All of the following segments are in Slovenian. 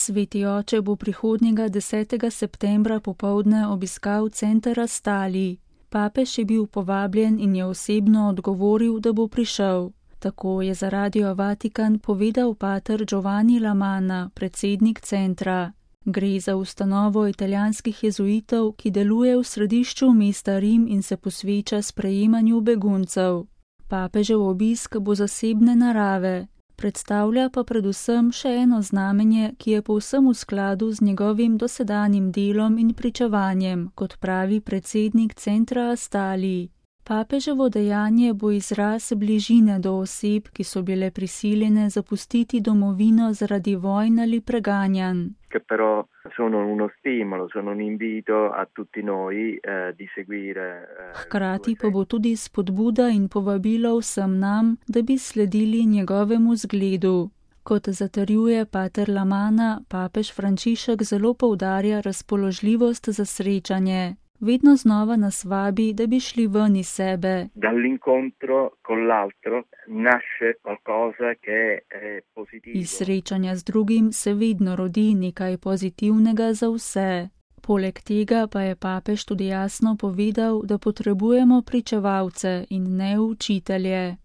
Sveti oče bo prihodnjega 10. septembra popoldne obiskal center Astali. Papež je bil povabljen in je osebno odgovoril, da bo prišel. Tako je za Radio Vatikan povedal pater Giovanni Lamanna, predsednik centra. Gre za ustanovo italijanskih jezuitov, ki deluje v središču mesta Rim in se posveča sprejemanju beguncev. Papežev obisk bo zasebne narave. Predstavlja pa predvsem še eno znamenje, ki je povsem v skladu z njegovim dosedanjim delom in pričevanjem, kot pravi predsednik centra Astali. Papeževo dejanje bo izraz bližine do oseb, ki so bile prisiljene zapustiti domovino zaradi vojn ali preganjanj. Che però sono uno stimolo, sono un invito a tutti noi di seguire. Hkrati pa bo tudi spodbuda in povabilo vsem nam, da bi sledili njegovemu zgledu. Kot zatrjuje pater Lamanna, papež Frančišek zelo poudarja razpoložljivost za srečanje. Vedno znova nas vabi, da bi šli ven iz sebe. Dall'incontro con l'altro nasce qualcosa che è positivo. Iz srečanja z drugim se vedno rodi nekaj pozitivnega za vse. Poleg tega pa je papež tudi jasno povedal, da potrebujemo pričevalce in ne učitelje.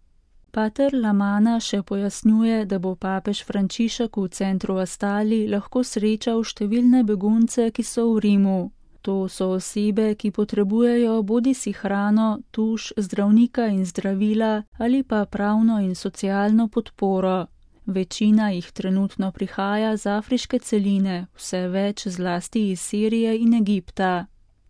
Pater Lamanna še pojasnjuje, da bo papež Frančišek v centru Astali lahko srečal številne begunce, ki so v Rimu. To so osebe, ki potrebujejo bodisi hrano, tuš, zdravnika in zdravila ali pa pravno in socialno podporo. Večina jih trenutno prihaja z afriške celine, vse več zlasti iz Sirije in Egipta.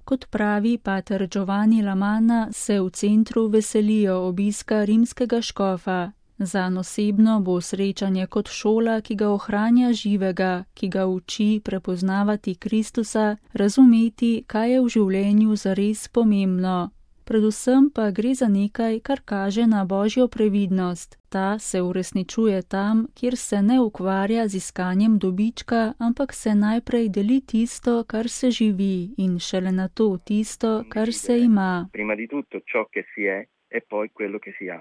Kot pravi pater Giovanni Lamanna, se v centru veselijo obiska rimskega škofa. Zanj osebno bo srečanje kot šola, ki ga ohranja živega, ki ga uči prepoznavati Kristusa, razumeti, kaj je v življenju zares pomembno. Predvsem pa gre za nekaj, kar kaže na Božjo previdnost. Ta se uresničuje tam, kjer se ne ukvarja z iskanjem dobička, ampak se najprej deli tisto, kar se živi, in šele nato tisto, kar se ima. Prima di tutto ciò che si è e poi quello che si ha.